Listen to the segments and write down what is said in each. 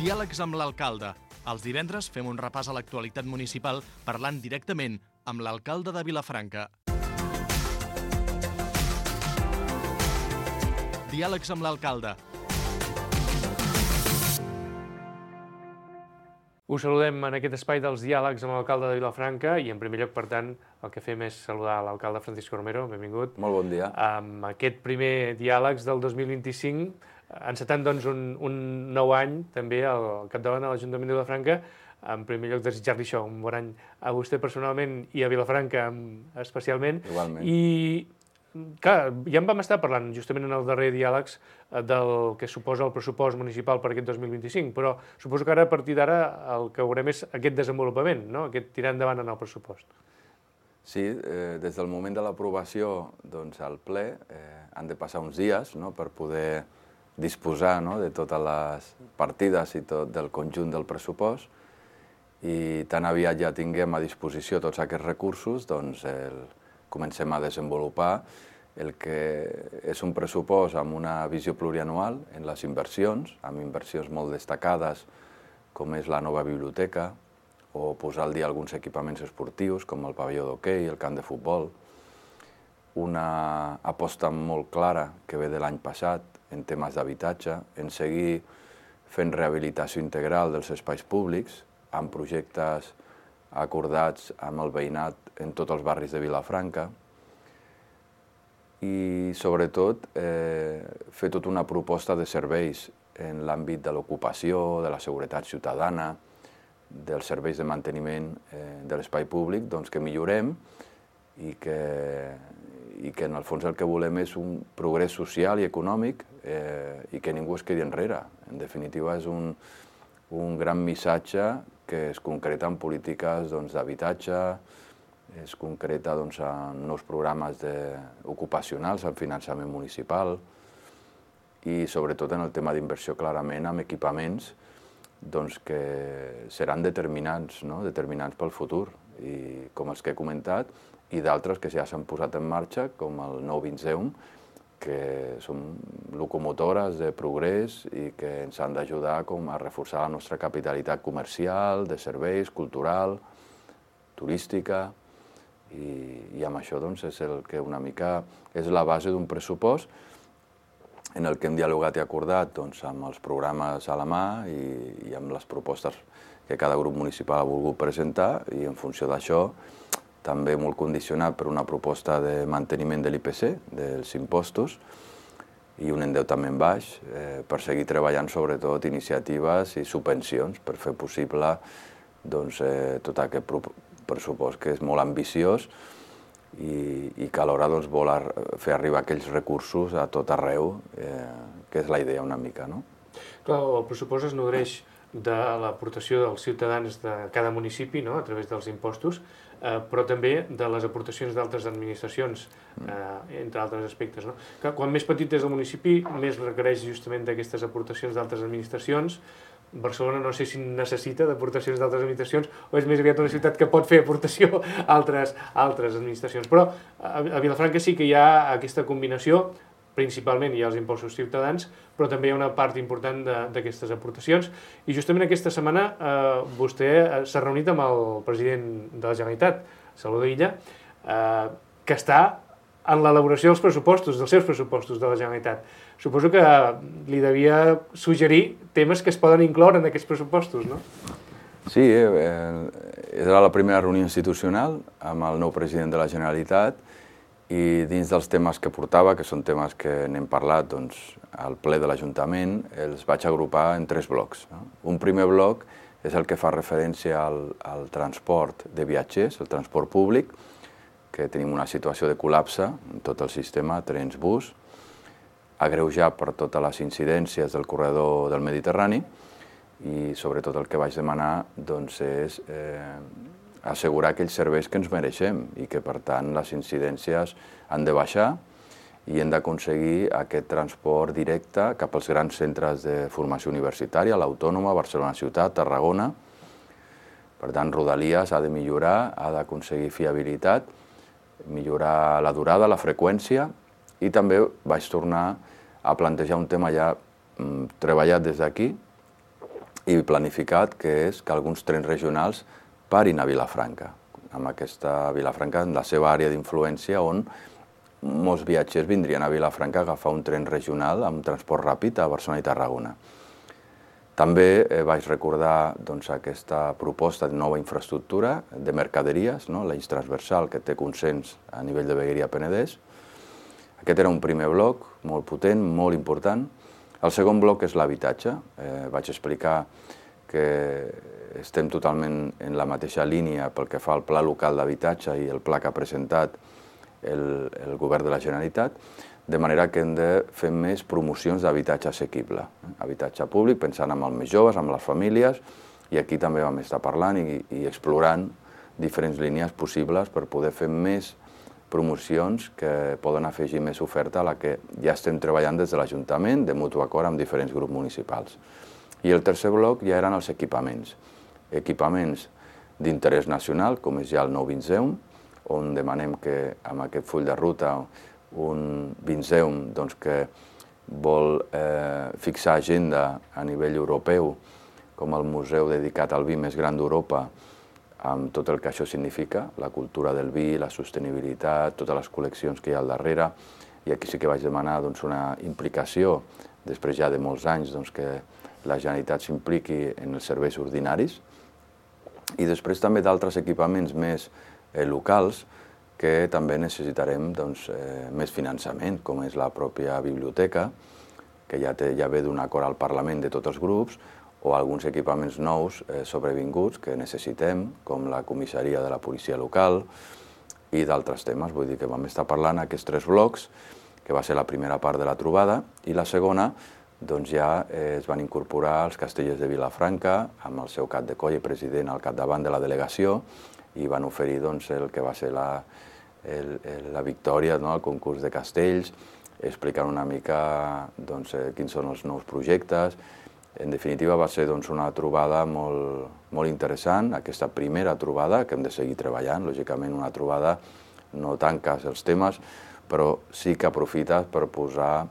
Diàlegs amb l'alcalde. Els divendres fem un repàs a l'actualitat municipal parlant directament amb l'alcalde de Vilafranca. Diàlegs amb l'alcalde. Us saludem en aquest espai dels diàlegs amb l'alcalde de Vilafranca i, en primer lloc, per tant, el que fem és saludar l'alcalde Francisco Romero. Benvingut. Molt bon dia. Amb aquest primer diàlegs del 2025, encetant doncs, un nou any també al capdavant de l'Ajuntament de Vilafranca. En primer lloc, desitjar-li això, un bon any a vostè personalment i a Vilafranca especialment. Igualment. I, clar, ja en vam estar parlant justament en el darrer diàlegs del que suposa el pressupost municipal per aquest 2025, però suposo que ara, a partir d'ara, el que veurem és aquest desenvolupament, no? Aquest tirar endavant en el pressupost. Sí, des del moment de l'aprovació al ple han de passar uns dies per poder disposar de totes les partides i tot del conjunt del pressupost, i tan aviat ja tinguem a disposició tots aquests recursos, doncs comencem a desenvolupar el que és un pressupost amb una visió plurianual en les inversions, amb inversions molt destacades com és la nova biblioteca, o posar al dia alguns equipaments esportius com el pavelló d'hoquei, el camp de futbol, una aposta molt clara que ve de l'any passat en temes d'habitatge, en seguir fent rehabilitació integral dels espais públics, amb projectes acordats amb el veïnat en tots els barris de Vilafranca, i sobretot fer tota una proposta de serveis en l'àmbit de l'ocupació, de la seguretat ciutadana, dels serveis de manteniment de l'espai públic, que millorem i que en el fons el que volem és un progrés social i econòmic i que ningú es quedi enrere. En definitiva, és un gran missatge que es concreta en polítiques d'habitatge, es concreta en nous programes ocupacionals, en finançament municipal i sobretot en el tema d'inversió clarament amb equipaments que seran determinants pel futur, i com els que he comentat, i d'altres que ja s'han posat en marxa, com el nou Vinceum, que són locomotores de progrés i que ens han d'ajudar a reforçar la nostra capitalitat comercial, de serveis, cultural, turística, i amb això és el que una mica és la base d'un pressupost en el que hem dialogat i acordat amb els programes a la mà i amb les propostes que cada grup municipal ha volgut presentar, i en funció d'això també molt condicionat per una proposta de manteniment de l'IPC, dels impostos, i un endeutament baix, per seguir treballant sobretot iniciatives i subvencions per fer possible tot aquest pressupost que és molt ambiciós i que alhora vol fer arribar aquells recursos a tot arreu, que és la idea una mica. Clar, el pressupost es nodreix de l'aportació dels ciutadans de cada municipi a través dels impostos, però també de les aportacions d'altres administracions, entre altres aspectes. Quan més petit és el municipi, més requereix justament d'aquestes aportacions d'altres administracions. Barcelona no sé si necessita d'aportacions d'altres administracions o és més aviat una ciutat que pot fer aportació a altres administracions. Però a Vilafranca sí que hi ha aquesta combinació, principalment hi ha els impostos ciutadans, però també hi ha una part important d'aquestes aportacions. I justament aquesta setmana vostè s'ha reunit amb el president de la Generalitat, Salvador Illa, que està en l'elaboració dels pressupostos, dels seus pressupostos de la Generalitat. Suposo que li devia suggerir temes que es poden incloure en aquests pressupostos, no? Sí, era la primera reunió institucional amb el nou president de la Generalitat, i dins dels temes que portava, que són temes que n'hem parlat al ple de l'Ajuntament, els vaig agrupar en 3 blocs. Un primer bloc és el que fa referència al transport de viatgers, el transport públic, que tenim una situació de col·lapse en tot el sistema, trens, bus, agreujat per totes les incidències del corredor del Mediterrani, i sobretot el que vaig demanar és assegurar aquells serveis que ens mereixem i que, per tant, les incidències han de baixar i hem d'aconseguir aquest transport directe cap als grans centres de formació universitària, l'Autònoma, Barcelona Ciutat, Tarragona. Per tant, Rodalies ha de millorar, ha d'aconseguir fiabilitat, millorar la durada, la freqüència, i també vaig tornar a plantejar un tema ja treballat des d'aquí, i planificat, que és que alguns trens regionals parin a Vilafranca, amb aquesta Vilafranca en la seva àrea d'influència, on molts viatgers vindrien a Vilafranca a agafar un tren regional amb transport ràpid a Barcelona i Tarragona. També vaig recordar aquesta proposta de nova infraestructura de mercaderies, l'eix transversal que té consens a nivell de Vegueria-Penedès. Aquest era un primer bloc molt potent, molt important. El segon bloc és l'habitatge. Vaig explicar que estem totalment en la mateixa línia pel que fa al Pla Local d'Habitatge i el pla que ha presentat el Govern de la Generalitat, de manera que hem de fer més promocions d'habitatge assequible. Habitatge públic, pensant en els més joves, en les famílies, i aquí també vam estar parlant i explorant diferents línies possibles per poder fer més promocions que poden afegir més oferta a la que ja estem treballant des de l'Ajuntament, de mutu acord amb diferents grups municipals. I el tercer bloc ja eren els equipaments. Equipaments d'interès nacional, com és ja el nou Vinceum, on demanem que amb aquest full de ruta un Vinceum que vol fixar agenda a nivell europeu com el museu dedicat al vi més gran d'Europa, amb tot el que això significa, la cultura del vi, la sostenibilitat, totes les col·leccions que hi ha al darrere. I aquí sí que vaig demanar una implicació, després ja de molts anys, que la Generalitat s'impliqui en els serveis ordinaris. I després també d'altres equipaments més locals que també necessitarem més finançament, com és la pròpia biblioteca, que ja ve d'un acord al Parlament de tots els grups, o alguns equipaments nous sobrevinguts que necessitem, com la comissaria de la policia local i d'altres temes. Vull dir que vam estar parlant aquests 3 blocs, que va ser la primera part de la trobada, i la segona ja es van incorporar els castellers de Vilafranca, amb el seu cap de coll i president al capdavant de la delegació, i van oferir el que va ser la victòria al concurs de castells, explicant una mica quins són els nous projectes. En definitiva, va ser una trobada molt interessant, aquesta primera trobada, que hem de seguir treballant. Lògicament, una trobada no tanques els temes, però sí que aprofites per posar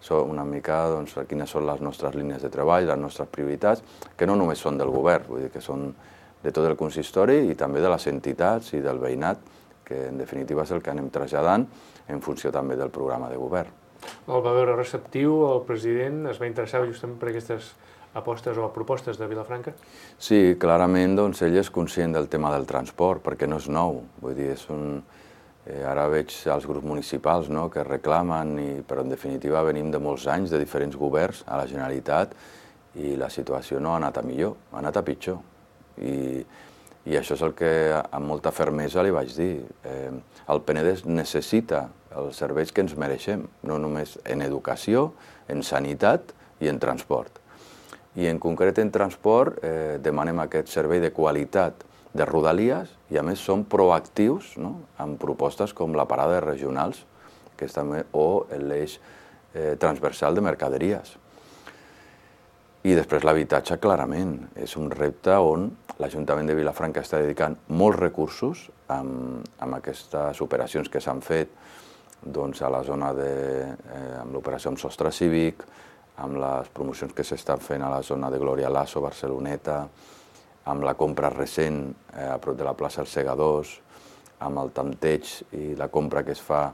una mica quines són les nostres línies de treball, les nostres prioritats, que no només són del govern, vull dir que són de tot el consistori i també de les entitats i del veïnat, que en definitiva és el que anem traslladant en funció també del programa de govern. El va veure receptiu, el president es va interessar justament per aquestes apostes o propostes de Vilafranca? Sí, clarament ell és conscient del tema del transport, perquè no és nou. Vull dir, ara veig els grups municipals que reclamen, però en definitiva venim de molts anys de diferents governs a la Generalitat i la situació no ha anat a millor, ha anat a pitjor. I això és el que amb molta fermesa li vaig dir. El Penedès necessita els serveis que ens mereixem, no només en educació, en sanitat i en transport. I en concret en transport demanem aquest servei de qualitat de Rodalies i a més som proactius amb propostes com la parada de regionals o l'eix transversal de mercaderies. I després l'habitatge, clarament, és un repte on l'Ajuntament de Vilafranca està dedicant molts recursos amb aquestes operacions que s'han fet a la zona amb l'operació amb sostre cívic, amb les promocions que s'estan fent a la zona de Glòria Lasso, Barceloneta, amb la compra recent a prop de la plaça Els Segadors, amb el tanteig i la compra que es fa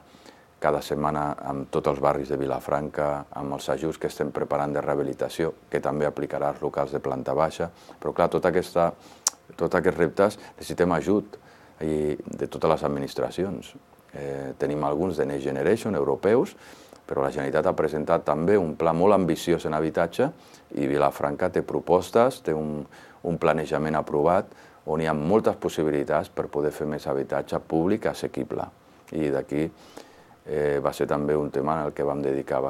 cada setmana amb tots els barris de Vilafranca, amb els ajuts que estem preparant de rehabilitació, que també aplicarà als locals de planta baixa. Però clar, tots aquests reptes necessitem ajut de totes les administracions. Tenim alguns de Next Generation europeus, però la Generalitat ha presentat també un pla molt ambiciós en habitatge i Vilafranca té propostes, té un planejament aprovat on hi ha moltes possibilitats per poder fer més habitatge públic assequible. I d'aquí va ser també un tema en el que vam dedicar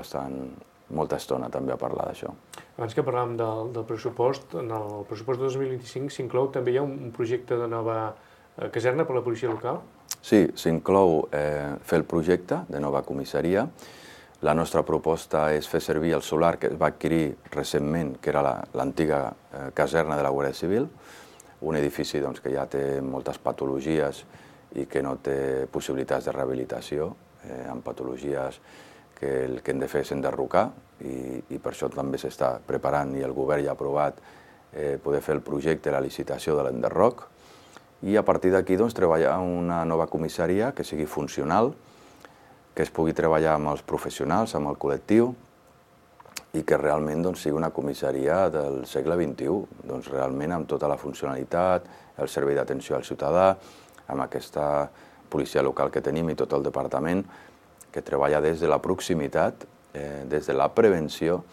molta estona també a parlar d'això. Abans que parlàvem del pressupost, en el pressupost de 2025 s'inclou també hi ha un projecte de nova caserna per a la policia local? Sí, s'inclou fer el projecte de nova comissaria. La nostra proposta és fer servir el solar que es va adquirir recentment, que era l'antiga caserna de la Guàrdia Civil, un edifici que ja té moltes patologies i que no té possibilitats de rehabilitació, amb patologies que el que hem de fer és enderrocar i per això també s'està preparant i el govern ja ha aprovat poder fer el projecte, la licitació de l'enderroc, i a partir d'aquí doncs, treballar una nova comissaria que sigui funcional, que es pugui treballar amb els professionals, amb el col·lectiu, i que realment doncs, sigui una comissaria del segle XXI, doncs, realment amb tota la funcionalitat, el servei d'atenció al ciutadà, amb aquesta policia local que tenim i tot el departament, que treballa des de la proximitat, des de la prevenció,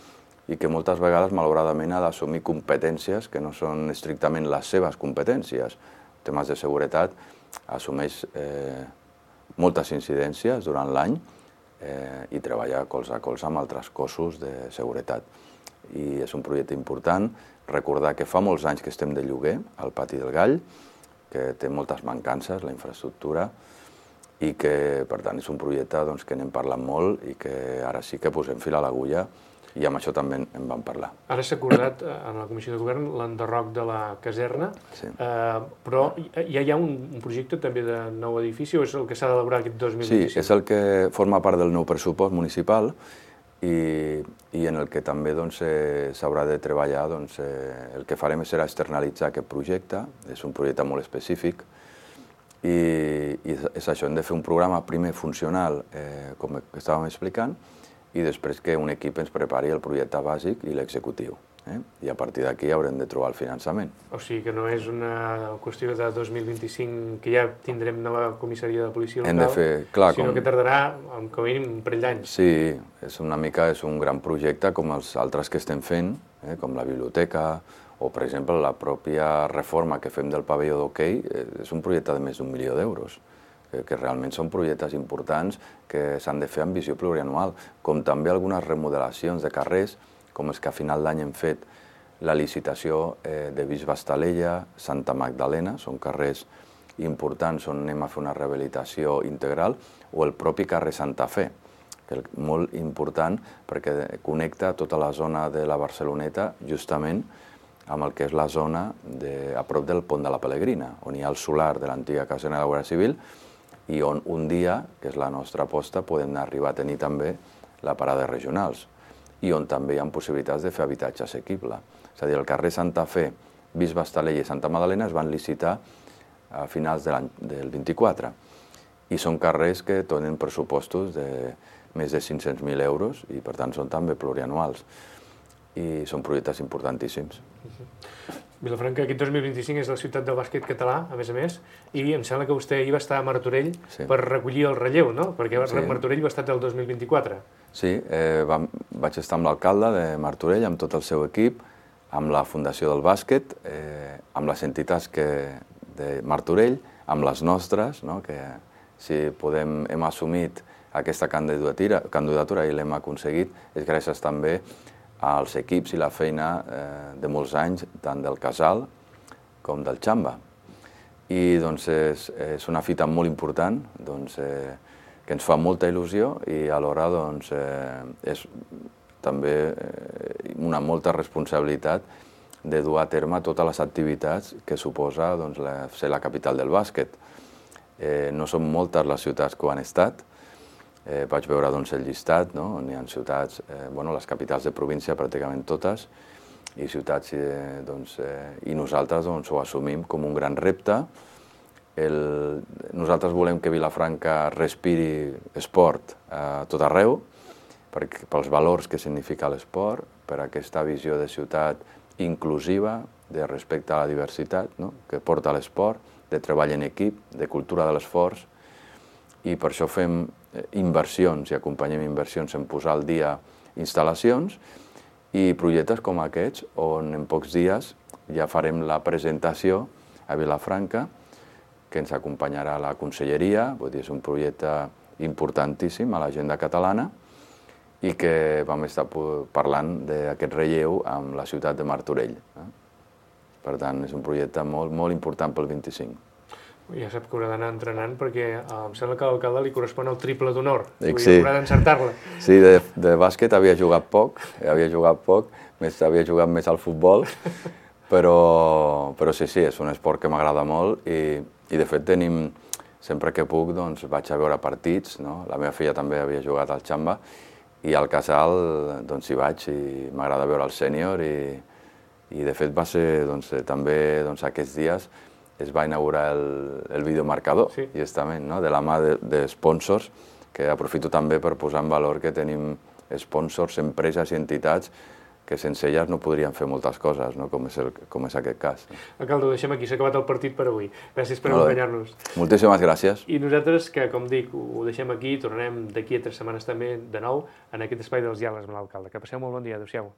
i que moltes vegades, malauradament, ha d'assumir competències que no són estrictament les seves competències. Temes de seguretat assumeix moltes incidències durant l'any, i treballar colze a colze amb altres cossos de seguretat. I és un projecte important. Recordar que fa molts anys que estem de lloguer al Pati del Gall, que té moltes mancances, la infraestructura, i que, per tant, és un projecte que n'hem parlat molt i que ara sí que posem fil a l'agulla, i amb això també en vam parlar. Ara s'ha acordat en la Comissió de Govern l'enderroc de la caserna, però ja hi ha un projecte també de nou edifici o és el que s'ha d'elaborar aquest 2025? Sí, és el que forma part del nou pressupost municipal i en el que també s'haurà de treballar. El que farem serà externalitzar aquest projecte, és un projecte molt específic, i és això, hem de fer un programa primer funcional, com estàvem explicant, i després que un equip ens prepari el projecte bàsic i l'executiu. I a partir d'aquí haurem de trobar el finançament. O sigui que no és una qüestió de 2025 que ja tindrem nova comissaria de policia local, hem de fer, clar, sinó que tardarà com a mínim un parell d'anys. Sí, és un gran projecte com els altres que estem fent, com la biblioteca, o per exemple la pròpia reforma que fem del pavelló d'hoquei, és un projecte de més d'1 milió d'euros. Que realment són projectes importants que s'han de fer amb visió plurianual, com també algunes remodelacions de carrers, com els que a final d'any hem fet la licitació de Bisbe Estalella, Santa Magdalena, són carrers importants on anem a fer una rehabilitació integral, o el propi carrer Santa Fe, que és molt important perquè connecta tota la zona de la Barceloneta justament amb el que és la zona a prop del Pont de la Pelegrina, on hi ha el solar de l'antiga caserna de la Guàrdia Civil, i on un dia, que és la nostra aposta, podem arribar a tenir també la parada regionals, i on també hi ha possibilitats de fer habitatge assequible. És a dir, el carrer Santa Fe, Bisbe Estalella i Santa Magdalena es van licitar a finals del 24, i són carrers que tenen pressupostos de més de 500.000 euros i, per tant, són també plurianuals. I són projectes importantíssims. Vilafranca, aquest 2025 és la ciutat del bàsquet català, a més, i em sembla que vostè ahir va estar a Martorell per recollir el relleu, no? Perquè Martorell va estar del 2024. Sí, vaig estar amb l'alcalde de Martorell, amb tot el seu equip, amb la Fundació del Bàsquet, amb les entitats de Martorell, amb les nostres, que si hem assumit aquesta candidatura i l'hem aconseguit, és gràcies també als equips i la feina de molts anys, tant del Casal com del Xamba. I és una fita molt important que ens fa molta il·lusió i alhora és també una molta responsabilitat de dur a terme totes les activitats que suposa ser la capital del bàsquet. No són moltes les ciutats que ho han estat. Vaig veure el llistat, on hi ha ciutats, les capitals de província pràcticament totes, i ciutats, i nosaltres ho assumim com un gran repte. Nosaltres volem que Vilafranca respiri esport a tot arreu, pels valors que significa l'esport, per aquesta visió de ciutat inclusiva, de respecte a la diversitat que porta l'esport, de treball en equip, de cultura de l'esforç, i per això fem inversions i acompanyem inversions en posar al dia instal·lacions i projectes com aquests, on en pocs dies ja farem la presentació a Vilafranca, que ens acompanyarà la conselleria, vull dir, és un projecte importantíssim a l'agenda catalana, i que vam estar parlant d'aquest relleu amb la ciutat de Martorell. Per tant, és un projecte molt, molt important pel 25. Ja sap que haurà d'anar entrenant perquè em sembla que a l'alcalde li correspon el triple d'honor. Sí. Haurà d'encertar-la. Sí, de bàsquet havia jugat poc, havia jugat més al futbol, però sí, és un esport que m'agrada molt i de fet sempre que puc vaig a veure partits, la meva filla també havia jugat al Xamba i al Casal hi vaig i m'agrada veure el sènior I de fet va ser també aquests dies es va inaugurar el videomarcador, justament, de la mà de sponsors, que aprofito també per posar en valor que tenim sponsors, empreses i entitats que sense elles no podrien fer moltes coses, com és aquest cas. Alcalde, ho deixem aquí, s'ha acabat el partit per avui. Gràcies per acompanyar-nos. Moltíssimes gràcies. I nosaltres, que com dic, ho deixem aquí, tornarem d'aquí a 3 setmanes també de nou en aquest espai dels diàlegs amb l'alcalde. Que passeu molt bon dia, adéu-siau.